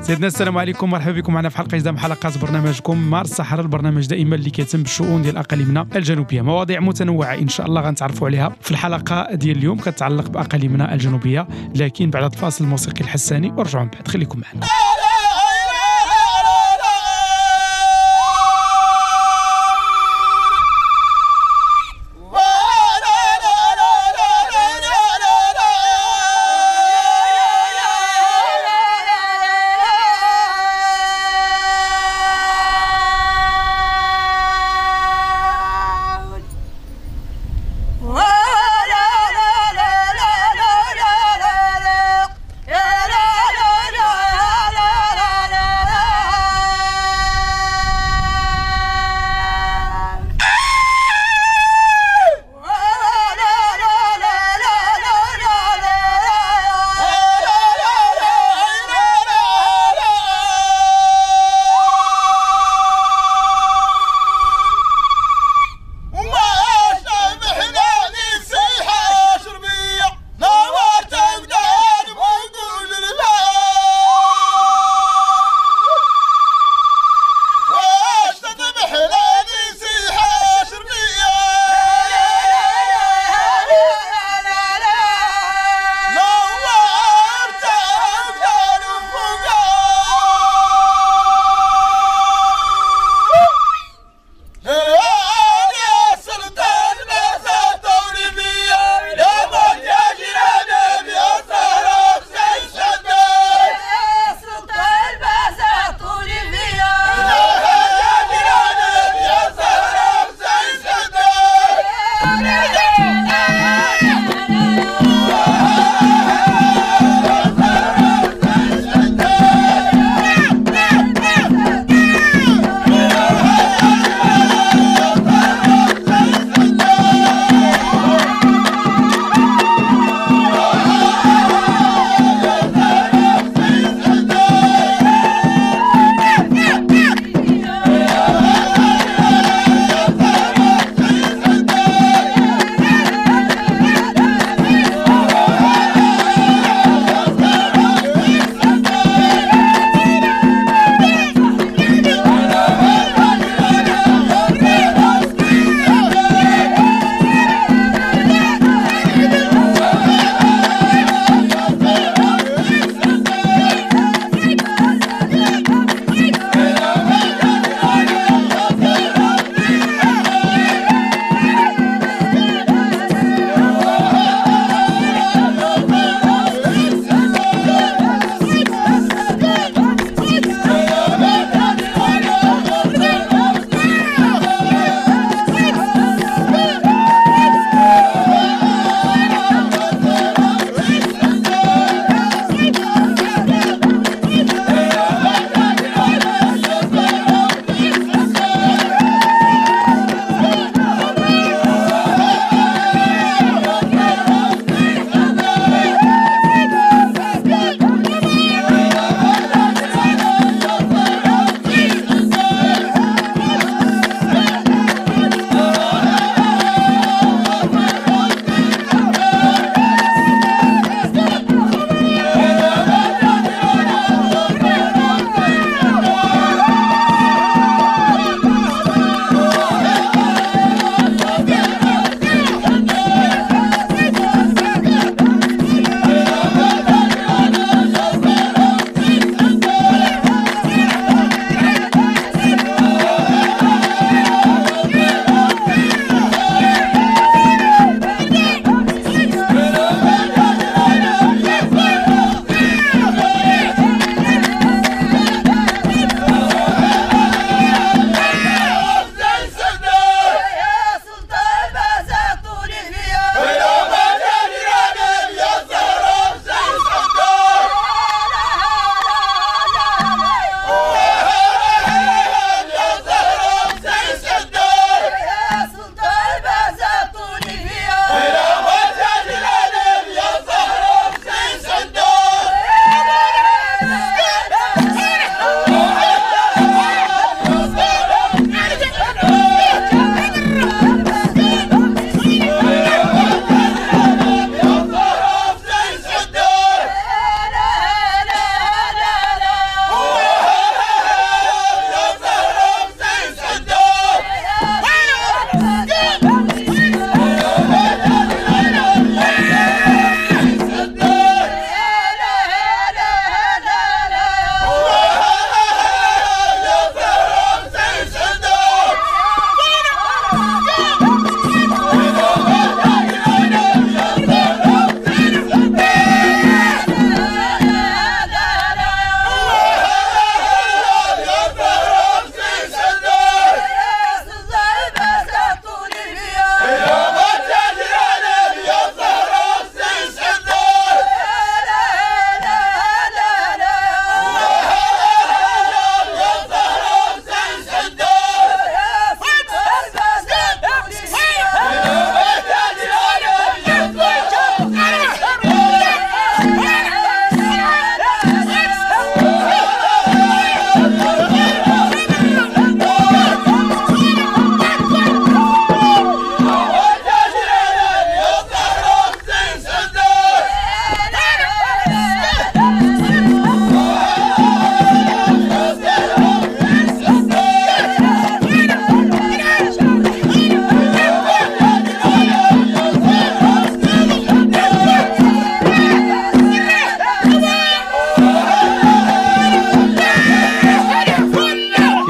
سيدنا السلام عليكم، مرحبا بكم معنا في حلقة جديدة من حلقات برنامجكم مار الصحراء، البرنامج دائما اللي كيتم بالشؤون ديال اقاليمنا الجنوبية، مواضيع متنوعة ان شاء الله غنتعرفوا عليها في الحلقة ديال اليوم كتعلق باقاليمنا الجنوبية، لكن بعد الفاصل الموسيقي الحساني ورجعوا من بعد، خليكم معنا. لا لا لا لا لا.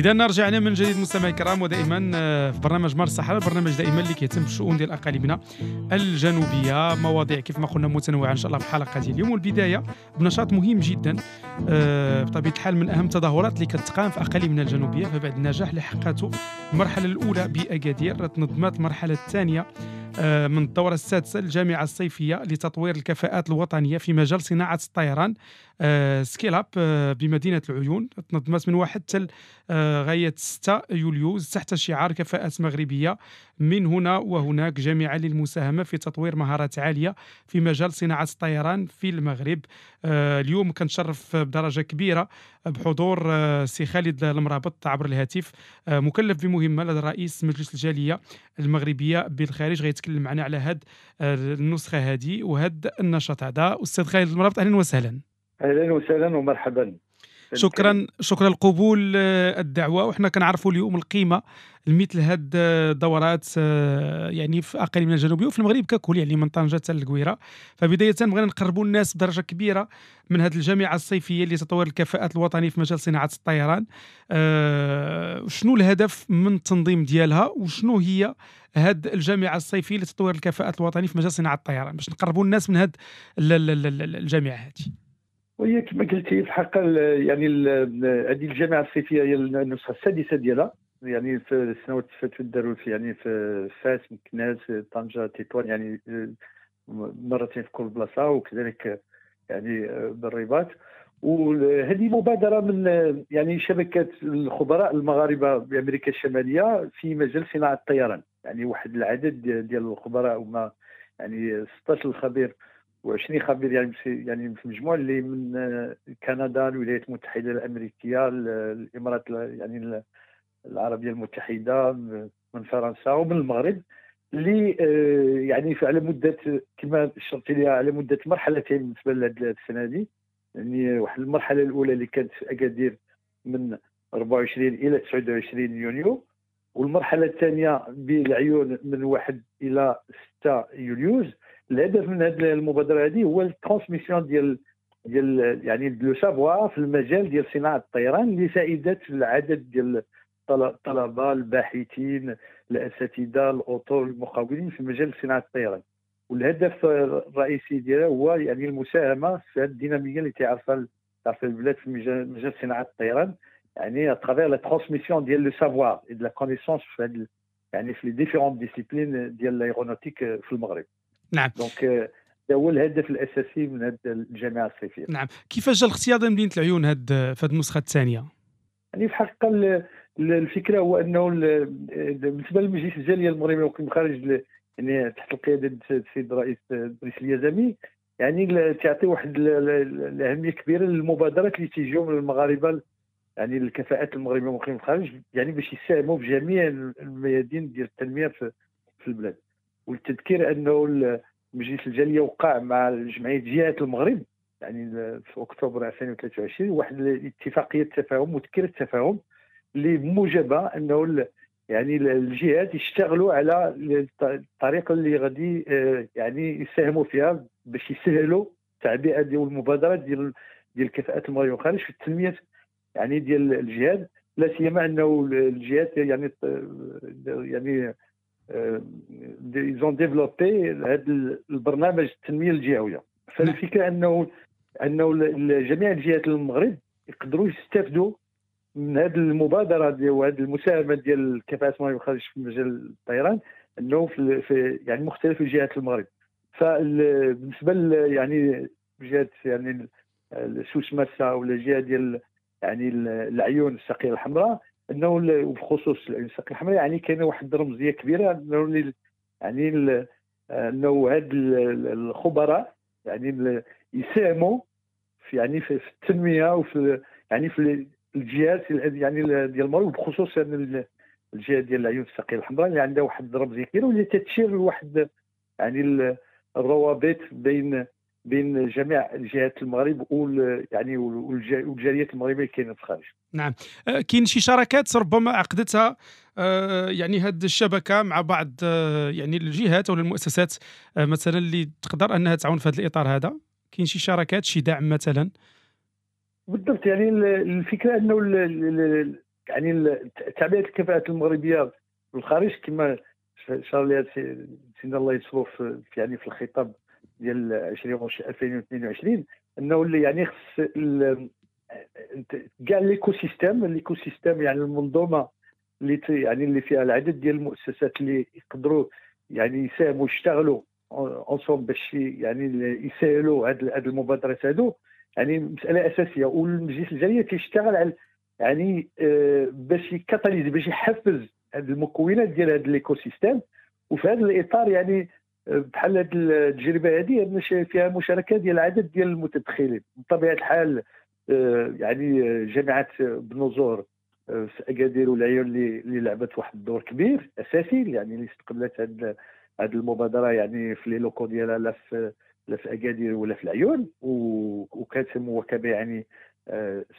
اذا رجعنا من جديد مستمعي الكرام، ودائما في برنامج مار الصحراء، البرنامج دائما اللي كيهتم بالشؤون ديال اقاليمنا الجنوبيه، مواضيع كيف ما قلنا متنوعة ان شاء الله في الحلقة ديال اليوم. والبداية بنشاط مهم جدا بطبيعة الحال من اهم التظاهرات اللي كتقام في اقاليمنا الجنوبيه. فبعد النجاح اللي حققته المرحلة الاولى باكادير، تنظمت المرحلة الثانية من الدورة السادسة للجامعة الصيفية لتطوير الكفاءات الوطنية في مجال صناعة الطيران Scale Up بمدينة العيون. تنظمت من 1 حتى غاية 6 يوليوز تحت شعار كفاءات مغربية من هنا وهناك، جامعة للمساهمة في تطوير مهارات عالية في مجال صناعة الطيران في المغرب. اليوم كنتشرف بدرجة كبيرة بحضور سي خالد المرابط عبر الهاتف، مكلف بمهمة لدى رئيس مجلس الجالية المغربية بالخارج، غيتكلم معنا على هاد النسخة هذه وهاد النشاط هذا. أستاذ خالد المرابط، أهلا وسهلا. أهلا وسهلا ومرحبا. شكرا لقبول الدعوة. وحنا كنعرفوا اليوم القيمة لمثل هاد الدورات يعني في اقاليمنا الجنوبية وفي المغرب ككل، يعني من طنجه حتى للقويره. فبداية بغينا نقربوا الناس بدرجة كبيرة من هذه الجامعة الصيفية لتطوير الكفاءات الوطنية في مجال صناعة الطيران. شنو الهدف من التنظيم ديالها، وشنو هي هاد الجامعة الصيفية لتطوير الكفاءات الوطنية في مجال صناعة الطيران، باش نقربوا الناس من هاد الجامعة هذه؟ وهي كما قلتي في الحقيقة يعني هذه الجامعة الصيفية هي النسخة السادسة ديالها، يعني في السنوات اللي فاتت داروا في يعني في فاس، مكناس، طنجه، تطوان، يعني مرتين في كل بلاصة، وكذلك يعني بالرباط. وهذه مبادرة من يعني شبكة الخبراء المغاربة بامريكا الشمالية في مجال صناعة الطيران، يعني واحد العدد ديال الخبراء هما يعني 16 خبير و20 خبير يعني في المجموع، اللي من كندا، الولايات المتحدة الامريكية، الامارات يعني العربية المتحدة، من فرنسا ومن المغرب، اللي يعني على مده كما شرت ليها على مده مرحلتين بالنسبة لهذه السنة هذه. يعني واحد المرحلة الاولى اللي كانت في اكادير من 24 الى 29 يونيو، والمرحلة الثانية بالعيون من 1 الى 6 يوليوز. الهدف من هذه المبادرة هذه هو ال transmission ديال يعني le savoir في المجال ديال صناعة الطيران لفائدة العدد ديال الطلبة، الباحثين، الاساتذة، الاطر، المقاولين في مجال صناعة الطيران. والهدف الرئيسي ديالها هو يعني المساهمة في هذه الديناميه اللي تعرفها البلاد في مجال صناعة الطيران، يعني à travers la transmission ديال le savoir et de la connaissance في يعني في les différentes disciplines ديال l'aéronautique في المغرب. نعم. donc هذا هو الهدف الاساسي من هذه الجامعة الصيفية. نعم، كيفاش جا الاختيار ديال مدينة العيون في هذه النسخة الثانية؟ يعني في الحقيقة الفكرة هو انه بالنسبة للمجلس الجالية المغربي المقيم خارج، يعني تحت القيادة السيد الرئيس دريس اليزمي، يعني تعطي واحد الاهمية كبيرة للمبادرات اللي تيجيو من المغاربة، يعني الكفاءات المغربية المقيمين الخارج، يعني باش يساهموا في جميع الميادين ديال التنمية في البلاد. والتذكير انه مجلس الجالية وقع مع جمعية جهات المغرب يعني في اكتوبر 2023 واحد الاتفاقية تفاهم وتذكير التفاهم اللي بموجبها انه يعني الجهات يشتغلوا على الطريقة اللي غادي يعني يساهموا فيها باش يسهلوا التعبئه ديال المبادرات ديال الكفاءات المغربية والخارج في التنمية يعني ديال الجهات، لا سيما انه الجهات يعني ils ont développé هذا البرنامج التنمية الجهوية. فالفكرة انه جميع الجهات المغرب يقدروا يستافدوا من هذه المبادرة ديال وهذه المساهمة ديال الكفاءات المغربية والخارج في مجال الطيران، انه في يعني مختلف جهات المغرب. فبالنسبه يعني جهة يعني سوس ماسا ولا جهة ديال يعني العيون الساقيه الحمراء، انه وبخصوص العيون الساقيه الحمراء يعني كاينه واحد الرمزية كبيرة، انه يعني انه هاد الخبراء يعني يساهموا في يعني في التنمية وفي يعني في الجهات يعني ديال المغرب، وبخصوص يعني الجهة ديال العيون الساقيه الحمراء اللي عندها واحد الرمزية كبيرة واللي تتشير لواحد يعني الروابط بين جميع جهات المغرب يعني والجاليات المغربية اللي كاينه في الخارج. نعم، كاين شي شراكات ربما عقدتها يعني هذه الشبكة مع بعض يعني الجهات او المؤسسات مثلا اللي تقدر انها تعاون في هذا الاطار هذا؟ كاين شي شراكات، شي دعم مثلا؟ بالضبط، يعني الفكرة انه يعني تعبئة الكفاءات المغربية في الخارج كما شار لها سيدنا الله ينصرو في يعني في الخطاب ديال 2022، انه اللي يعني خص كاع l'écosystème يعني المنظومة اللي يعني اللي فيها العدد ديال المؤسسات اللي يقدروا يعني يساهموا ويشتغلوا ensemble باش يعني يسهلوا هاد المبادرات هادو، يعني مسالة اساسية. والمجلس الجالية تيشتغل على يعني باش ي catalyser، باش يحفز هاد المكونات ديال هاد l'écosystème. وفي هذا الاطار يعني بحال هاد التجربة هذه فيها مشاركة ديال عدد ديال المتدخلين. بطبيعة الحال يعني جامعه بن زهر في اكادير والعيون اللي لعبت واحد الدور كبير اساسي، يعني اللي استقبلت هاد المبادرة يعني في les locaux ديالها لا في اكادير ولا في العيون، وكانت مواكبة يعني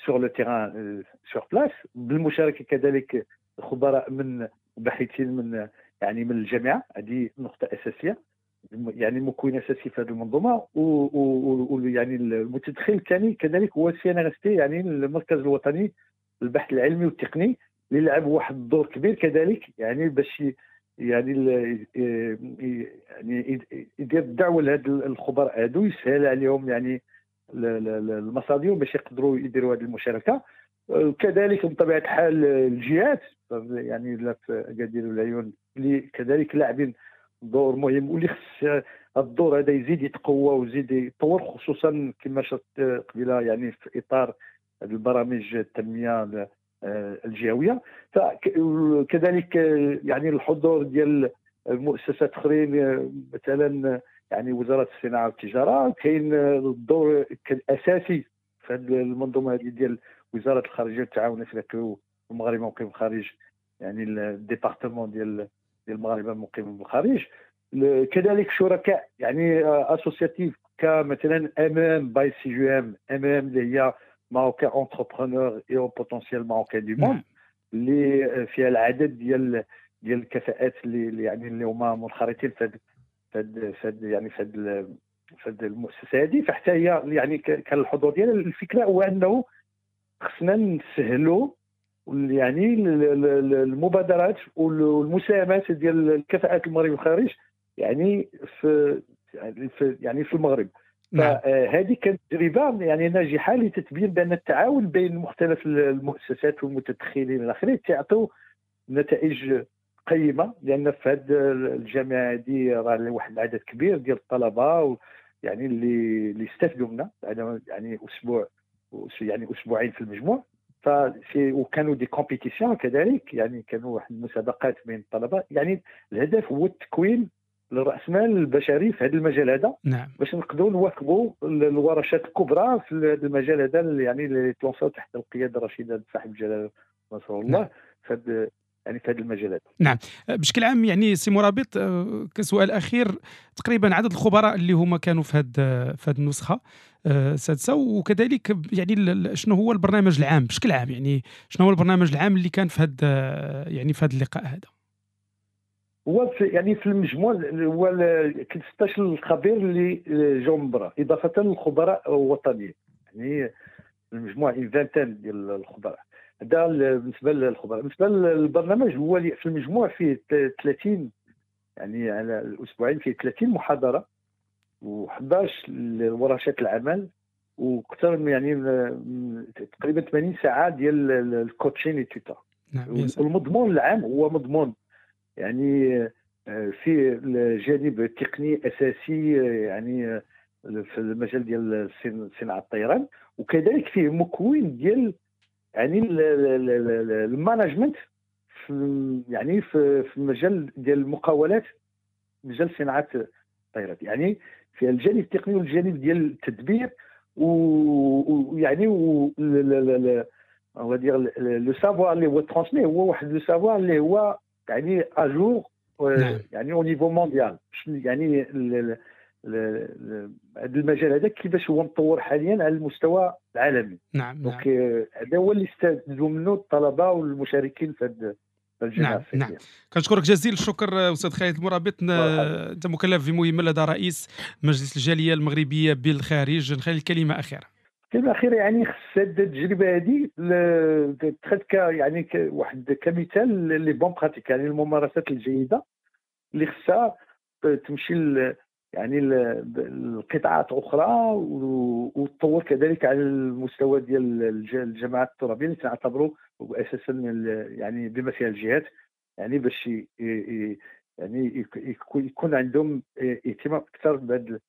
sur le terrain sur place، بالمشاركة كذلك خبراء من باحثين من يعني من الجامعة. هذه نقطة اساسية، يعني مكون اساسي في هذه المنظومة. ويعني المتدخل الثاني كذلك هو CNRST، يعني المركز الوطني للبحث العلمي والتقني، اللي لعب واحد الدور كبير كذلك، يعني باش يعني يعني يدير الدعوة لهاد الخبراء هادو، يسهل عليهم يعني المصادر باش يقدروا يديروا هذه المشاركة. كذلك بطبيعة الحال الجهات، يعني لا في اكادير والعيون اللي كذلك لاعبين دور مهم، واللي خص الدور هذا يزيد يتقوى ويزيد يتطور، خصوصا كما شرت قبيلة يعني في اطار البرامج التنمية الجهوية. فكذلك يعني الحضور ديال المؤسسات اخرين، مثلا يعني وزارة الصناعة والتجارة، كاين الدور الاساسي في هذه المنظومة هذه ديال وزارة الخارجية والتعاون الافريقي والمغاربة المقيم بالخارج، يعني ال département ديال المغاربة المقيمين بالخارج. كذلك شركاء يعني associatifs كمثلا MEM by CGEM، MEM اللي هي Marocains entrepreneurs et hauts potentiels marocains du monde، اللي فيها العدد ديال الكفاءات اللي يعني اللي هما منخرطين في هاد يعني في هاد المؤسسة هذه. فحتى هي يعني كان الحضور ديالها. الفكرة هو انه خصنا نسهلوا يعني المبادرات والمساهمات ديال الكفاءات المغرب والخارج يعني في يعني في المغرب. فهذه كانت تجربه يعني ناجحة لتتبين بان التعاون بين مختلف المؤسسات والمتدخلين الاخرين تعطوا نتائج قيمة، لان في هذه الجامعة هذه راه واحد العدد كبير ديال الطلبة يعني اللي استفدوا منها يعني اسبوع يعني اسبوعين في المجموع. وكانوا des compétitions كذلك، يعني كانوا واحد المسابقات بين الطلبة. يعني الهدف هو التكوين للرأسمال البشري في هذا المجال هذا. نعم. باش نقدروا نواكبوا الورشات الكبرى في هذا المجال هذا، يعني اللي تلونساو تحت القيادة الرشيدة صاحب الجلاله نصر الله. نعم. في يعني في هذا المجال هذا. نعم. بشكل عام يعني سي مرابط، كسؤال اخير، تقريبا عدد الخبراء اللي هما كانوا في هذه النسخة السادسة، وكذلك يعني شنو هو البرنامج العام بشكل عام، يعني شنو هو البرنامج العام اللي كان في هذا يعني في هذا اللقاء هذا؟ هو يعني في المجموع هو 16 خبير اللي جاوا من برا، اضافه للخبراء الوطنيين، يعني المجموع 20 ديال الخبراء. هذا بالنسبة للخبراء. بالنسبة للبرنامج هو في المجموع فيه 30، يعني على الاسبوعين فيه 30 محاضرة و11 ورشات العمل، واكثر من يعني تقريبا 80 ساعة ديال ال coaching et cetera. نعم. المضمون العام هو مضمون يعني في الجانب التقني اساسي يعني في المجال ديال صناعة الطيران، وكذلك فيه مكون ديال يعني ال management في يعني في المجال ديال المقاولات، مجال صناعة الطيران، يعني في الجانب التقني والجانب ديال التدبير، ويعني le savoir اللي هو transmis، هو واحد le savoir اللي هو يعني à jour يعني au niveau mondial، يعني هذا المجال هذا كيفاش هو مطور حاليا على المستوى العالمي. نعم. donc هذا هو اللي استفادوا منه الطلبة والمشاركين في هذا الجامعة. نعم. نعم. كنشكرك جزيل الشكر استاذ خالد المرابط، انت مكلف بمهمة لدى رئيس مجلس الجالية المغربية بالخارج. نخلي الكلمة اخيرة. الكلمة الاخيرة يعني خص هذه التجربة هذه تاخذ يعني واحد كمثال les bonnes pratiques، يعني الممارسات الجيدة اللي خصها تمشي يعني القطاعات اخرى وتطور كذلك على المستوى ديال الجماعات الترابيه اللي تعتبروا اساسا يعني بما فيها الجهات، يعني باش يعني يكون عندهم اهتمام اكثر بهاد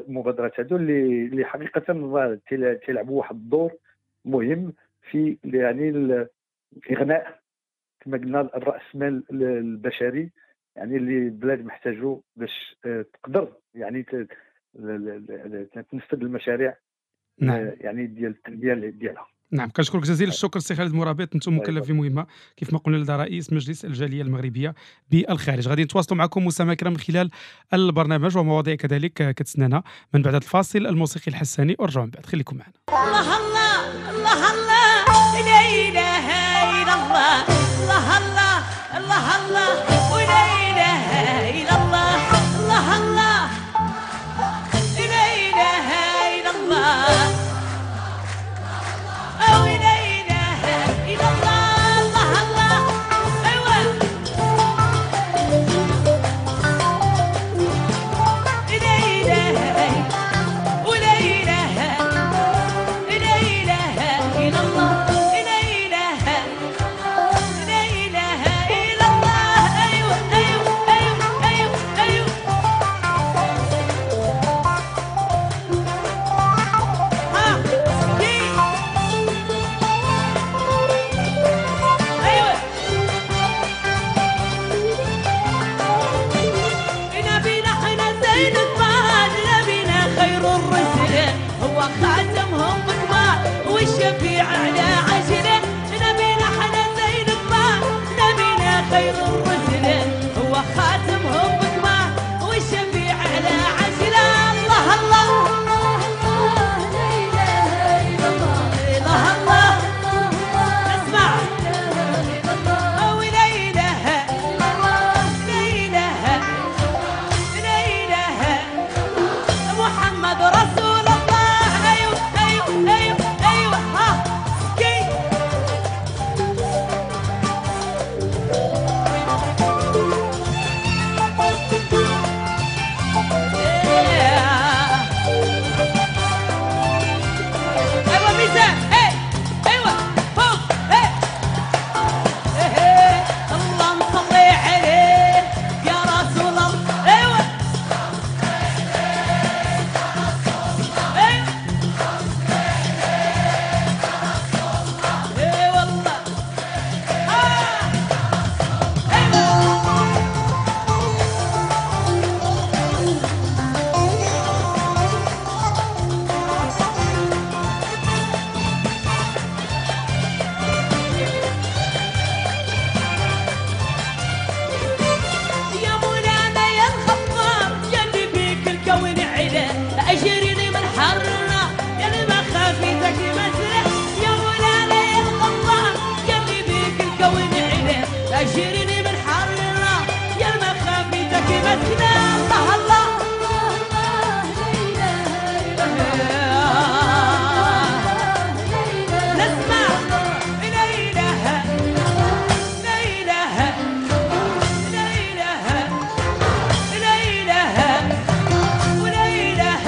المبادرات هادو اللي حقيقة تيلعبوا واحد الدور مهم في يعني اغناء كما قلنا الراس مال البشري، يعني اللي البلاد محتاجو باش تقدر يعني تنفذ المشاريع. نعم. يعني ديال التنمية ديالها. نعم، كنشكرك جزيل الشكر سي خالد مرابط، انتم مكلف في مهمة كيف ما قلنا لدى رئيس مجلس الجالية المغربية بالخارج. غادي نتواصلوا معكم مستمعينا الكرام من خلال البرنامج ومواضيع كذلك كتسنانا من بعد الفاصل الموسيقي الحساني، ورجعوا من بعد، خليكم معنا. الله الله الله الله لا اله الا الله، الله الله الله الله ولا اله الا الله، الله الله لا اله الا الله، لا إله إلا الله، الله الله أيوة لا إله ولا إله لا إله إلا الله، لا إله لا إله إلا الله، أيوة أيوة أيوة أيوة أيوة ها هو خاتمهم بكبار والشفيع على عجله، نبينا حنا زين كبار، نبينا خير الرسل، هو خاتمهم بكبار والشفيع على عجله. الله الله الله لا اله الا الله، الله الله اسمع ولا اله لا اله لا اله محمد رسول. أيوة أيوة ها كي أيوة ميزان أيوة فوق اللهم صل عليه يا رسول الله. أيوة أجرني من حرنا يا اللي ما خافيتك مسرح، يا مولانا يا الغفار يا اللي بيك الكون علا، أجرني من حرنا يا اللي ما خافيتك مسرح. الله الله الله لا إله إلا الله، نسمع لا إله لا إله لا إله لا إله ولا إله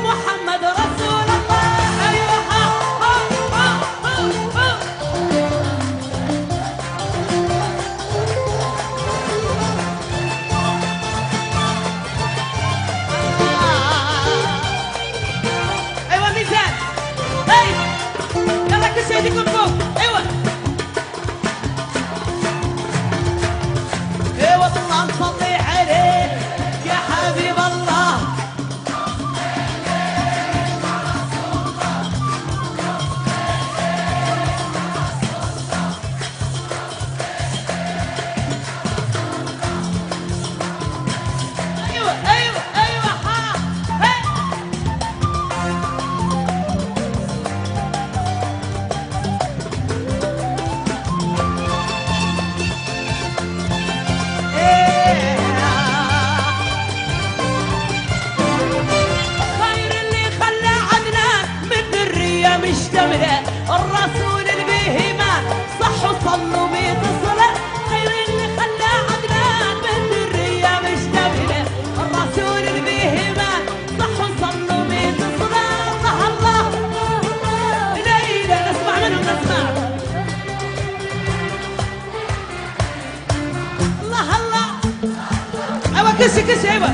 محمد رسول الله. أيوة ها ها ها ها. أيوة ميزان هاي يلا كل شيء يكون فوق. أيوة أيوة اللهم صل عليه يا حبيب الله. أيوة أيوة أيوة ها هي. مشتملة، الرسول البهيمة صح وصلوا 100 صلاة، خير اللي خلى عدنان بالذرية مشتملة، الرسول البهيمة صح وصلوا 100 صلاة. الله الله ليلى نسمع منهم نسمع. الله الله ايوه كسي كسي ايوه.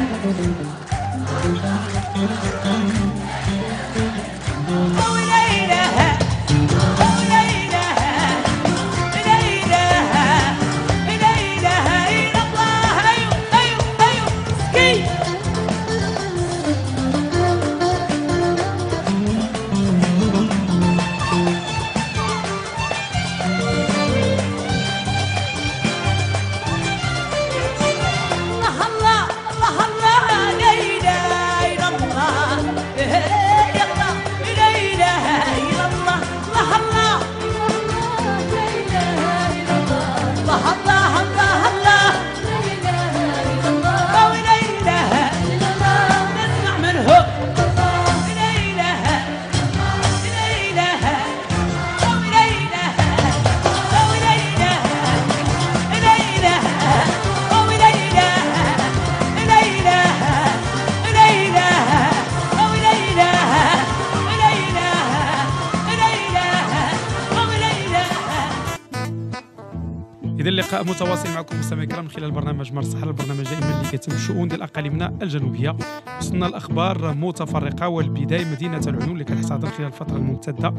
اللقاء متواصل معكم مستمعي الكرام من خلال برنامج مار الصحراء، البرنامج دائما اللي كيتم الشؤون ديال اقاليمنا الجنوبية. وصلنا الاخبار متفرقة، والبداية مدينة العيون اللي كتحتضن خلال الفترة الممتدة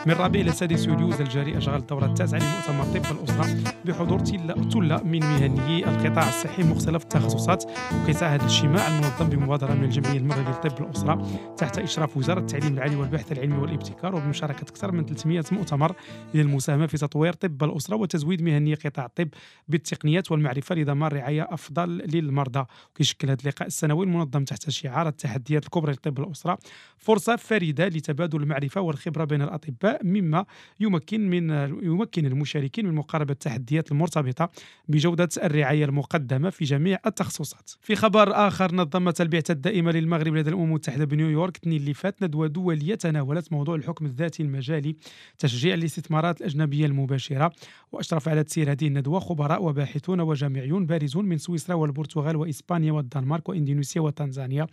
من الرابع الى السادس يوليوز الجاري اشغال الدورة التاسعة لمؤتمر طب الاسرة بحضور تلة من مهنيي القطاع الصحي مختلف التخصصات. وكيسعى هذا الاجتماع المنظم بمبادرة من الجمعية المغربية لطب الاسرة تحت اشراف وزارة التعليم العالي والبحث العلمي والابتكار وبمشاركه اكثر من 300 مؤتمر الى المساهمة في تطوير طب الاسرة وتزويد مهنيي قطاع الطب بالتقنيات والمعرفة لضمان رعاية أفضل للمرضى. وكيشكل هذا اللقاء السنوي المنظم تحت شعار التحديات الكبرى لطب الأسرة فرصة فريدة لتبادل المعرفة والخبرة بين الأطباء، مما يمكن المشاركين من مقاربة التحديات المرتبطة بجودة الرعاية المقدمة في جميع التخصصات. في خبر آخر، نظمت البعثة الدائمة للمغرب لدى الأمم المتحدة بنيويورك الاثنين اللي فات ندوة دولية تناولت موضوع الحكم الذاتي المجالي، تشجيع الاستثمارات الأجنبية المباشرة. وأشرف على تسيير هذه الندوة خبراء وباحثون وجامعيون بارزون من سويسرا والبرتغال وإسبانيا والدنمارك وإندونيسيا وتنزانيا.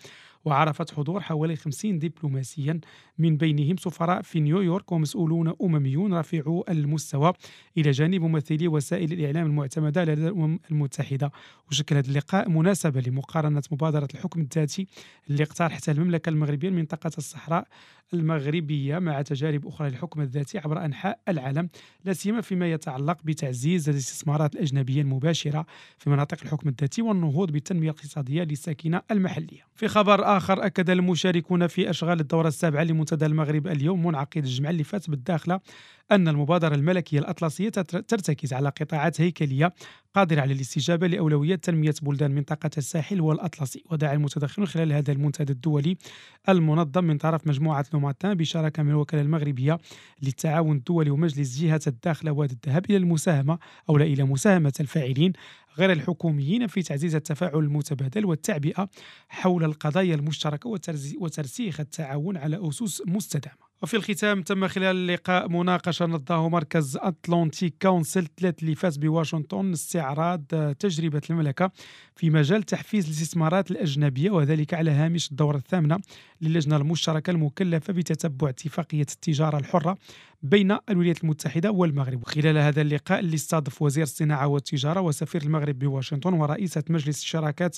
وعرفت حضور حوالي 50 دبلوماسيا من بينهم سفراء في نيويورك ومسؤولون أمميون رفيعو المستوى، إلى جانب ممثلي وسائل الإعلام المعتمدة لدى الأمم المتحدة. وشكل هذا اللقاء مناسبة لمقارنة مبادرة الحكم الذاتي اللي اقترحتها المملكة المغربية لمنطقة الصحراء المغربية مع تجارب أخرى للحكم الذاتي عبر أنحاء العالم، لا سيما فيما يتعلق بتعزيز الاستثمارات الأجنبية المباشرة في مناطق الحكم الذاتي والنهوض بالتنمية الاقتصادية للساكنة المحلية. في خبر آخر، أكد المشاركون في أشغال الدورة السابعة لمنتدى المغرب اليوم منعقد الجمعة اللي فات بالداخلة أن المبادرة الملكية الأطلسية ترتكز على قطاعات هيكلية قادرة على الاستجابة لأولويات تنمية بلدان منطقة الساحل والأطلسي. ودعا المتدخلون خلال هذا المنتدى الدولي المنظم من طرف مجموعة لوماتان بشراكة من الوكالة المغربية للتعاون الدولي ومجلس جهة الداخلة وادي الذهب إلى المساهمة أو لا إلى مساهمة الفاعلين غير الحكوميين في تعزيز التفاعل المتبادل والتعبئة حول القضايا المشتركة وترسيخ التعاون على أسس مستدامة. وفي الختام، تم خلال اللقاء مناقشة نظمه مركز أتلانتيك كونسل 3 اللي فاز بواشنطن استعراض تجربة المملكة في مجال تحفيز الاستثمارات الأجنبية، وذلك على هامش الدورة الثامنة للجنة المشتركة المكلفة بتتبع اتفاقية التجارة الحرة بين الولايات المتحدة والمغرب. وخلال هذا اللقاء اللي استضاف وزير الصناعة والتجارة وسفير المغرب بواشنطن ورئيسة مجلس الشراكات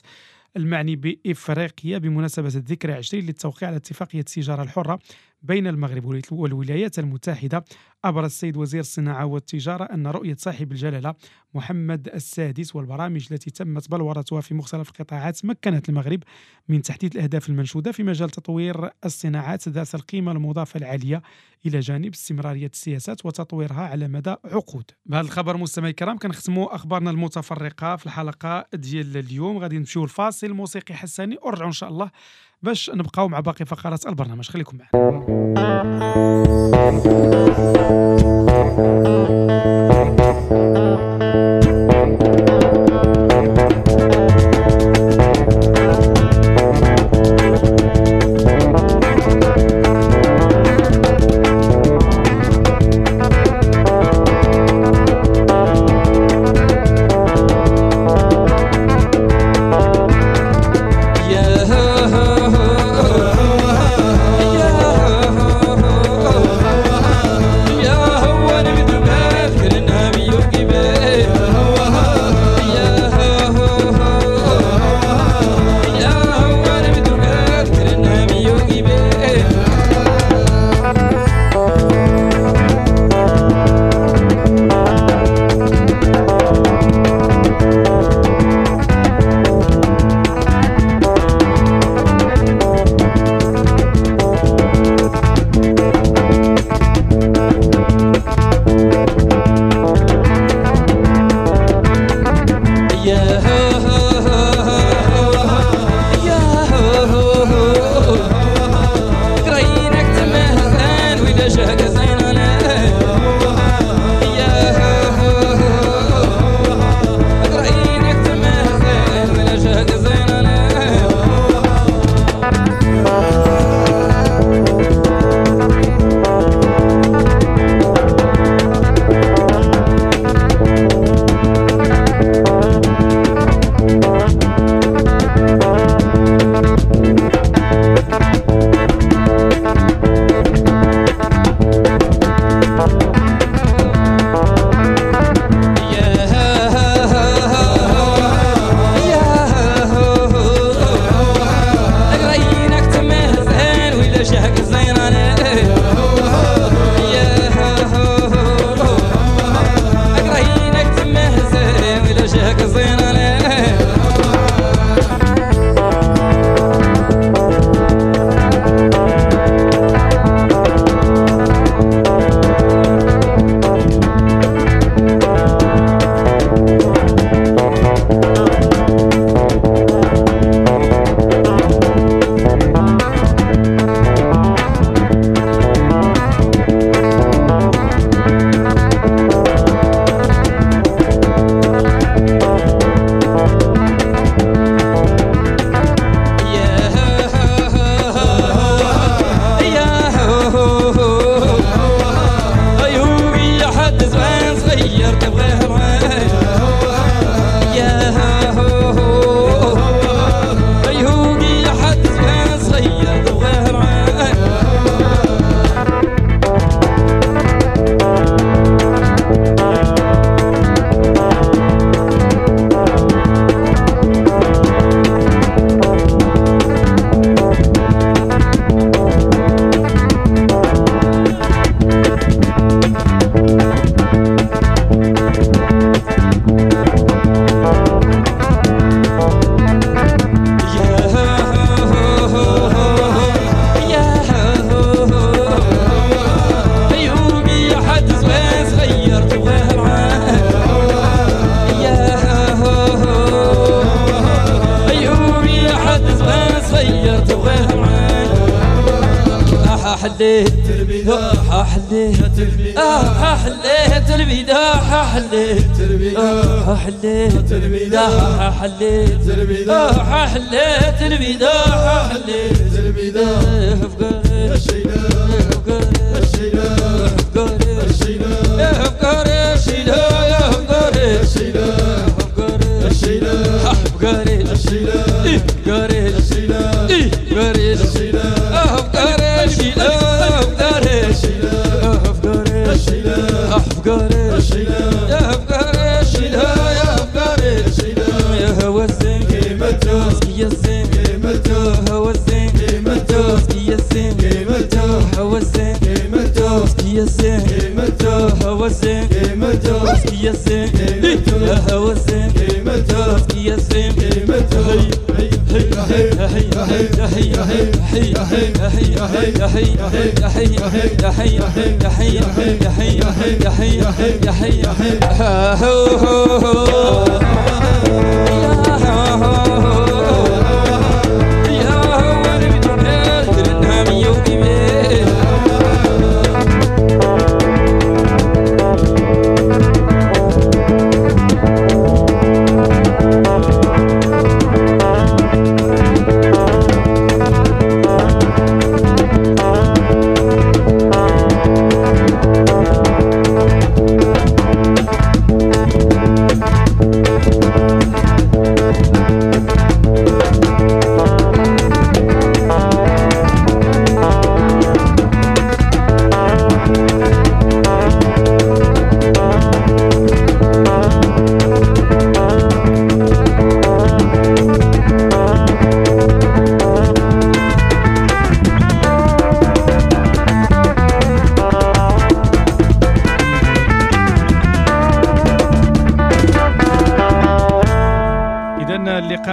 المعني بإفريقيا بمناسبة الذكرى 20 للتوقيع على اتفاقية التجارة الحرة بين المغرب والولايات المتحدة، أبرز السيد وزير الصناعة والتجارة أن رؤية صاحب الجلالة محمد السادس والبرامج التي تمت بلورتها في مختلف القطاعات مكنت المغرب من تحديد الأهداف المنشودة في مجال تطوير الصناعات ذات القيمة المضافة العالية، إلى جانب استمرارية السياسات وتطويرها على مدى عقود. بهذا الخبر مستمعي الكرام كنختموا أخبارنا المتفرقة في الحلقة ديال اليوم. غادي نمشيو الفاصل الموسيقي حساني ونرجعوا إن شاء الله باش نبقاو مع باقي فقرات البرنامج. خليكم معنا. حليت البداع حليت البداع حليت البداع حليت البداع حليت البداع حليت البداع حليت البداع حليت البداع.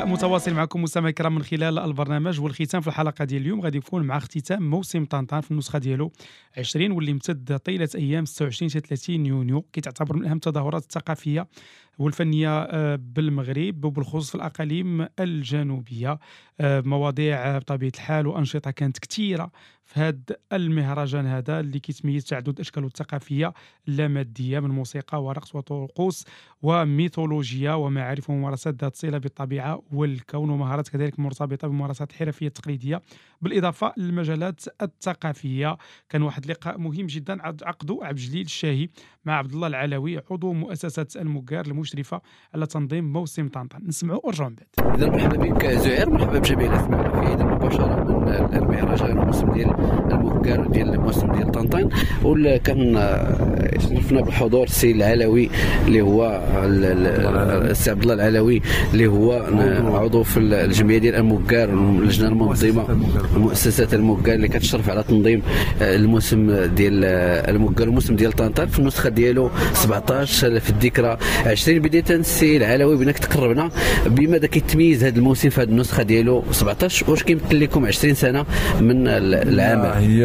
متواصل معكم مستمعي الكرام من خلال البرنامج، والختام في الحلقة ديال اليوم غادي يكون مع اختتام موسم طنطان في النسخة ديالو 20 واللي امتد طيلة ايام 26 حتى 30 يونيو، كيتعتبر من اهم التظاهرات الثقافية والفنية بالمغرب وبالخصوص في الاقاليم الجنوبية. مواضيع بطبيعة الحال وانشطه كانت كثيرة في هذا المهرجان هذا اللي كيتميز تعدد اشكاله الثقافية اللاماديه من موسيقى ورقص وطقوس وميثولوجيا ومعارف وممارسات ذات صله بالطبيعة والكون، ومهارات كذلك مرتبطة بالممارسات الحرفية التقليدية، بالاضافة للمجالات الثقافية. كان واحد اللقاء مهم جدا عقده عبد الجليل الشاهي مع عبد الله العلوي عضو مؤسسة المكار المشرفة على تنظيم موسم طنطان. نسمعوا ورجعوا من بعد. اذا مرحبا بك زهير، مرحبا بجميع الاسماء. اذا مباشرة من المهرجان الموسم ديال المكار ديال الموسم ديال طنطان، وكان شرفنا بالحضور السيد العلوي اللي هو السي عبد الله العلوي اللي هو عضو في الجمعية ديال المكار اللجنة المنظمة مؤسسة المكار اللي كتشرف على تنظيم الموسم ديال المكار الموسم ديال طنطان في النسخة ديالو 17 في الذكرى 20. بداية السي العلوي بانك تقربنا بماذا كيتميز هذا الموسم في هذه النسخة ديالو 17، واش كيمثل لكم 20 سنة من العمل؟ هي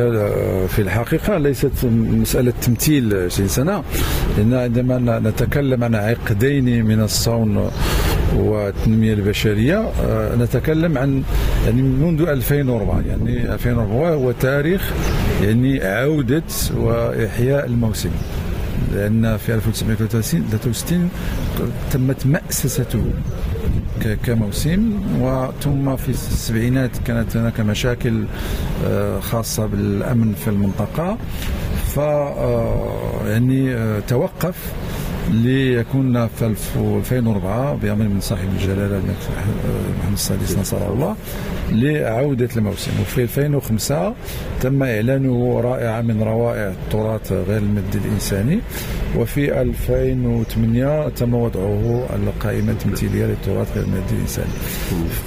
في الحقيقة ليست مسالة تمثيل 20 سنة، لان عندما نتكلم عن عقدين من الصون والتنمية البشرية نتكلم عن يعني منذ 2004، يعني 2004 هو تاريخ يعني عوده واحياء الموسم، لأن في 1963 تمت مأسسته كموسم، وثم في السبعينات كانت هناك مشاكل خاصة بالأمن في المنطقة، ف يعني توقف ليكون في 2004 بأمر من صاحب الجلالة محمد السادس نصره الله لعودة الموسم. وفي 2005 تم إعلانه رائعة من روائع التراث غير المادي الإنساني، وفي 2008 تم وضعه على القائمة التمثيلية للتراث غير المادي الإنساني.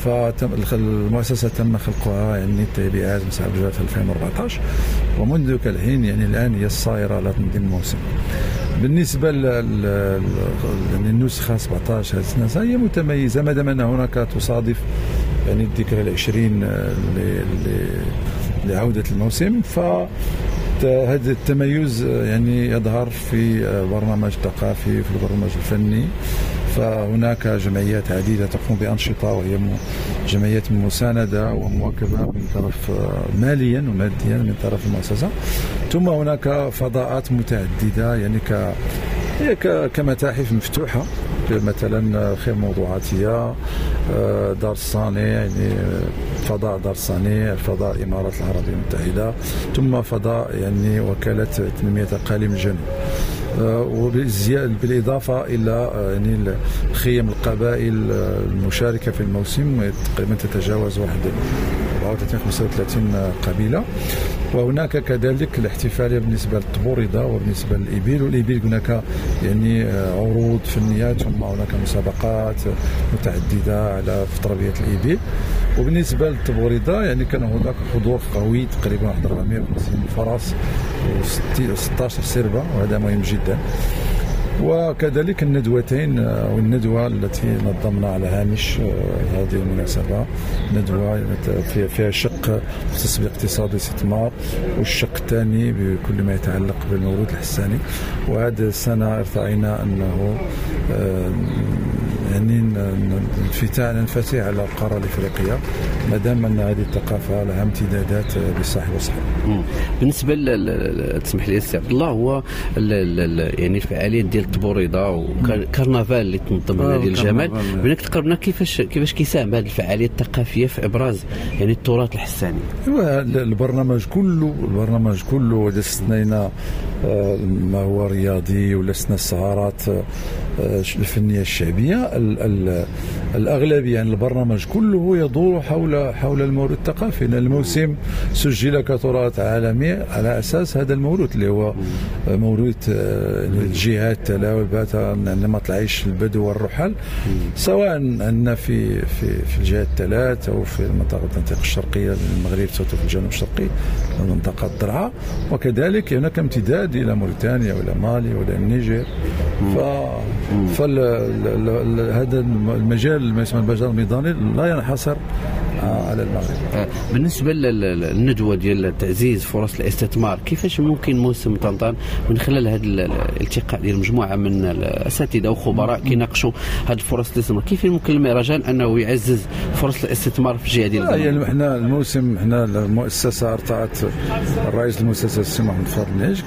فالمؤسسة تم خلقها يعني التابعات من صاحب الجلالة في 2014، ومنذ ذلك الحين يعني الآن هي الصائرة على تنظيم الموسم. بالنسبة للنسخة 17 هذه السنة هي متميزة ما دام أن هناك تصادف يعني الذكرى 20 لعودة الموسم، ف هذا التميز يعني يظهر في برنامج ثقافي، في البرنامج الفني. فهناك جمعيات عديدة تقوم بأنشطة، وهي جمعيات مساندة ومواكبة من طرف ماليا وماديا من طرف المؤسسة. ثم هناك فضاءات متعددة يعني كمتاحف مفتوحة، مثلا خير موضوعاتية، دار الصانع، يعني فضاء دار الصانع، فضاء الإمارات العربية المتحدة، ثم فضاء يعني وكالة تنمية أقاليم الجنوب، وبالإضافة إلى يعني خيم القبائل المشاركة في الموسم تقريبا تتجاوز 34 35 قبيلة. وهناك كذلك الاحتفالية بالنسبة للتبوريدة وبالنسبة للإبل، والإبل هناك يعني عروض فنية، ثم هناك مسابقات متعددة على في تربية الإبل. وبالنسبة للتبوريدة يعني كان هناك حضور قوي تقريبا 450 فرس و16 سربة، وهذا مهم جدا. وكذلك الندوتين أو الندوة التي نظمنا على هامش هذه المناسبة، ندوة فيها شق مختص باقتصاد الاستثمار، والشق الثاني بكل ما يتعلق بالموروث الحساني. وهذه السنة ارتأينا أنه يعني ننفتح على القارة الإفريقية، ما دام أن هذه الثقافة لها امتدادات بالساحل والصحراء. بالنسبة تسمح لي السي عبد الله، هو يعني الفعاليات ديال التبوريضة وكرنفال اللي تنظم هنا ديال الجمال، بغيناك تقربنا كيفاش كيساهم هذه الفعالية الثقافية في إبراز يعني التراث الحساني؟ البرنامج كله إذا استثنينا ما هو رياضي ولا استثنى السهرات الفنية الشعبية، الأغلبية يعني البرنامج كله يدور حول الموروث الثقافي. لأن الموسم سجل كتراث عالمي على أساس هذا الموروث اللي هو موروث الجهات الثلاث نمط العيش البدو والرحل، سواء عندنا في في في الجهات الثلاث أو في المنطقة الشرقية للمغرب، سواء في الجنوب الشرقي منطقة الدرعا، وكذلك هناك امتداد إلى موريتانيا وإلى مالي وإلى النيجر. فهذا المجال ما يسمى المجال الميداني لا ينحصر على المغرب. بالنسبة للندوة ديال تعزيز فرص الاستثمار، كيفاش ممكن موسم طنطان من خلال هذا الالتقاء ديال مجموعة من الأساتذة وخبراء كيناقشوا هذه الفرص الاستثمار، كيف ممكن المهرجان أنه يعزز فرص الاستثمار في الجهة ديال المغرب؟ يعني احنا الموسم، احنا المؤسسة ارتأت الرئيس المؤسسة السي محمد فاضل نعيش،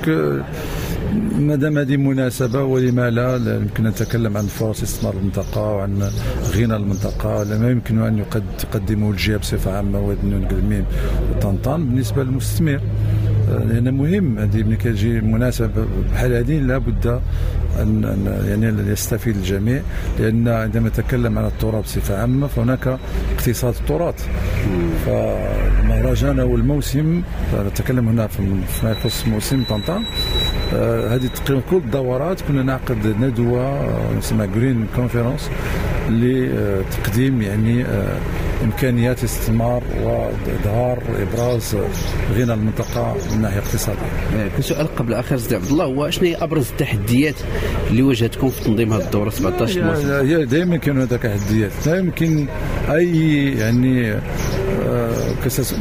ما دام هذه مناسبة ولما لا يمكن نتكلم عن فرص استثمار المنطقة وعن غنى المنطقة، لما يمكن أن تقدمه الجهة بصفة عامة وادنون قلميم وطنطان بالنسبة للمستثمر، لأن مهم هذه ملي كتجي مناسبة بحال هذه لابد أن يعني يستفيد الجميع، لأن عندما نتكلم عن التراث بصفة عامة فهناك اقتصاد التراث. فالمهرجان أو الموسم، نتكلم هنا فيما يخص موسم طنطان، هذه تقريبا كل الدورات كنا نعقد ندوة نسميها green conference لتقديم يعني إمكانيات استثمار وإظهار إبراز غنى المنطقة من ناحية اقتصادية. كسؤال قبل آخر سيدي عبد الله، هو شنو هي أبرز التحديات اللي واجهتكم في تنظيم هذه الدورة 17 موسم؟ هي دائما كاين هناك تحديات، لا يمكن أي يعني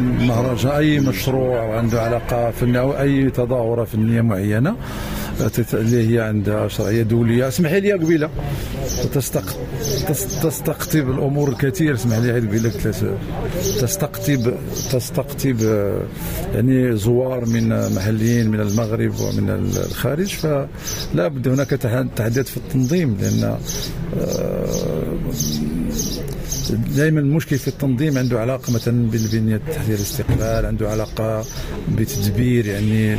مهرجان، أي مشروع عنده علاقة فنية أو أي تظاهرة فنية معينة اللي هي عندها شرعية دولية، اسمحي لي قبيلة تستقطب الأمور الكثير، اسمح لي قبيلة تستقطب يعني زوار من محليين من المغرب ومن الخارج، فلا بد هناك تحديات في التنظيم، لأن دائما المشكل في التنظيم عنده علاقة مثلا بالبنية التحتية للاستقبال، عنده علاقة بتدبير يعني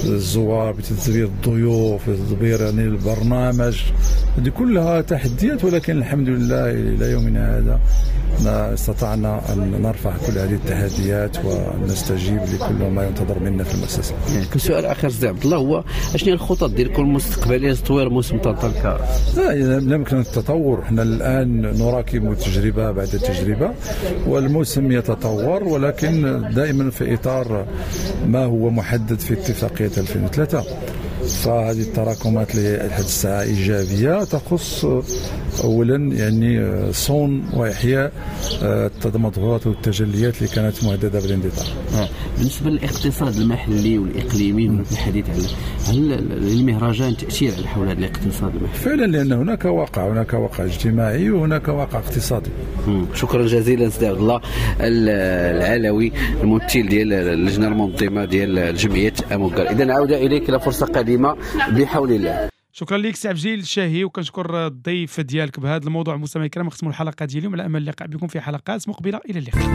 الزوار، بتدبير الضيوف، بتدبير يعني البرنامج، هذه كلها تحديات، ولكن الحمد لله إلى يومنا هذا استطعنا أن نرفع كل هذه التحديات ونستجيب لكل ما ينتظر منا في المؤسسة. كسؤال آخر سيدي عبد الله، هو شنو هي الخطط ديالكم المستقبلية لتطوير موسم طنطان؟ لا يمكن التطور، احنا الآن نراكم تجربة بعد تجربة والموسم يتطور، ولكن دائما في إطار ما هو محدد في اتفاقية 2003. فهذه التراكمات لحد الساعة إيجابية تخص أولا يعني صون وإحياء التمظهرات والتجليات اللي كانت مهددة بالاندثار. بالنسبة للاقتصاد المحلي والإقليمي هناك الحديث على هل للمهرجان تأثير على حول هذا الاقتصاد المحلي؟ فعلا، لأن هناك واقع، هناك واقع اجتماعي وهناك واقع اقتصادي. شكرا جزيلا سيدي عبد الله العلوي الممثل ديال اللجنة المنظمة ديال جمعية أموكار. إذا عودة إليك إلى فرصة قادمة بحول الله. شكرا لك سي عبد الجليل الشاهي، وكنشكر الضيف ديالك بهذا الموضوع. مستمعي الكرام، نختموا الحلقة ديال اليوم على امل اللقاء بكم في حلقات مقبله. الى اللقاء.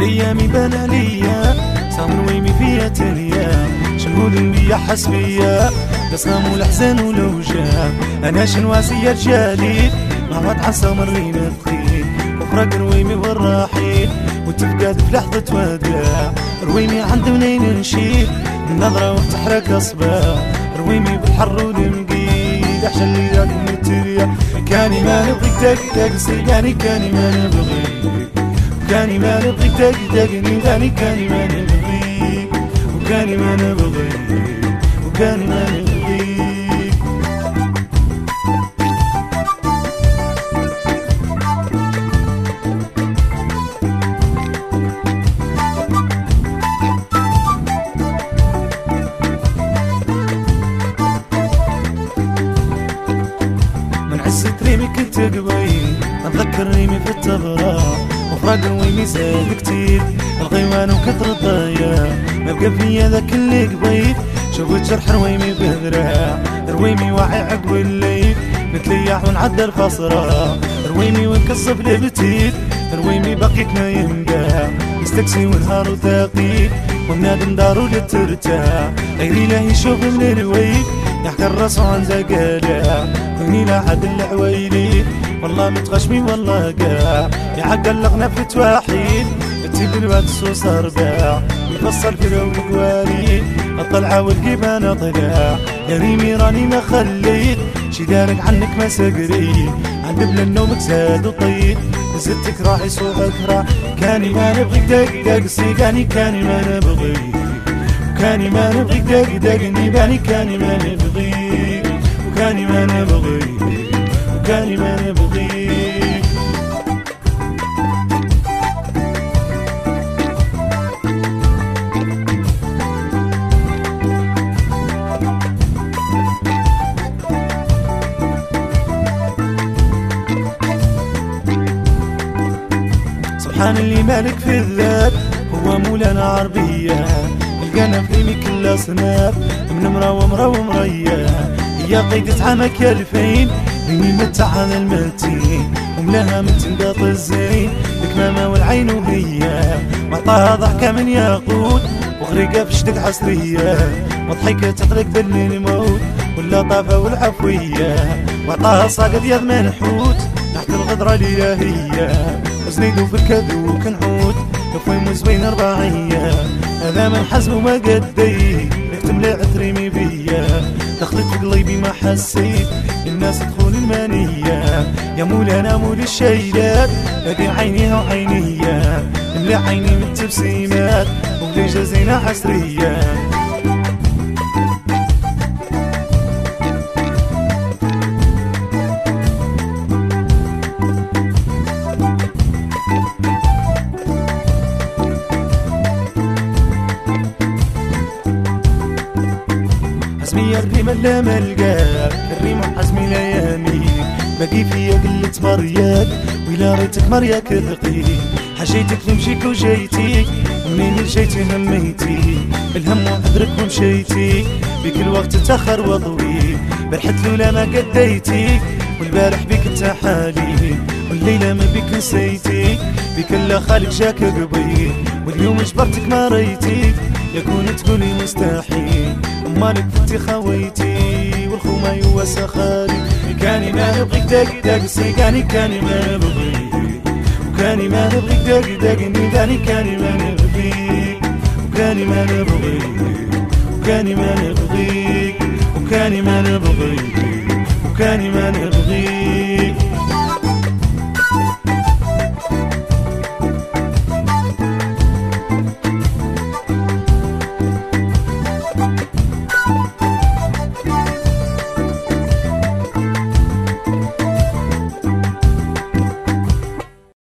ايامي بان عليا صامر ويمي فيا تانية شنو بيا حسبيا قسام والحزن والوجع انا شنواسية رجالي مع وضع سمر لينا ثقيل وفرق رويمي والرحيل وتفقد في لحظة وداع رويمي عند منين نشيل النظرة وتحرك اصبع رويمي بالحر والمقيد احشى اللي ذاك متريا كاني ما نبغيك تاك تاك سيقاني كاني ما نبغيك كاني ما نبغيك تاك تاكني داني كاني ما نبغيك وكاني ما نبغيك وكاني ما نبغيك. من عزة ريمي كنت قبيل نتذكر ريمي في التبرة وفراق رويمي زاد كتير الغيوان وكثر الضياع ما بقى فيا ذاك اللي قبيل شوفت جرح رويمي بذراع رويمي واعي عقب الليل نتليح ونعدل الفصرة رويمي ونكصف البتيل رويمي بقيت نايم كاع مستكسي ونهار وثقيل ونادم دارو لترتاح غيري له يشوف من الويل يحكي الراس عن زقالع كوني لا عاد العويلي والله متغشمي والله قاع يعقل لغنا في تواحيد تيب الواد الصوص ارباع يفصل في الوالي الطلعة والقيبان طلع يا ريمي راني ما خليت شي دارك عنك ما سقري عند بلا النوم زاد وطيت زدتك راح يسوقك راح كاني ما نبغيك دق دق سيقاني كاني ما نبغيك وكاني ما نبغيك دق دقني باني كاني ما نبغيك وكاني ما نبغيك وكاني ما نبغيك. سبحان اللي مالك في الذات هو مولانا عربية لقانا في ريمي كل صناف من مرا ومرا ومريا هي قيدة عامك يا الفين ريمي متع هذا المتين وملاها من تنقاط الزين الكمامة والعين وهي معطاها ضحكة من ياقوت وغريقة في شدق عصرية وضحكة تطرق بالموت واللطافة والعفوية وعطاها صاقد يا منحوت تحت الغدرة الإلهية وزنيدو في الكذو كنعود لفويم زوين رباعية هذا من حزم وما قدي نختم لعت ريمي بيا دخلت في قلبي ما حسيت الناس تخون المانية يا مولانا مول الشيلات هذه عينيها وعينيا ملي عيني من التبسيمات وبلي جازينا عسرية. حزمي الريم لا ملقاك الريم حزمي لا يمين باقي فيا قلة مرياك ويلا ريتك مرياك ثقيل حاجيتك نمشيك وجيتي منين جيتي هميتي الهم وعذرك ومشيتي بك الوقت تاخر وطويل برحت لولا ما قديتي والبارح بك انت حالي والليلة ما بك نسيتي بك لا خالق جاك قبيل واليوم جبرتك ما ريتي يكون تقولي مستحيل مالك فتي خويتي والخوما يواسى خالي كاني ما نبغيك دق دق سيقاني كاني ما نبغيك وكاني ما نبغيك دق دقني داني كاني ما نبغيك وكاني ما نبغيك وكاني ما نبغيك وكاني ما نبغيك وكاني ما نبغيك.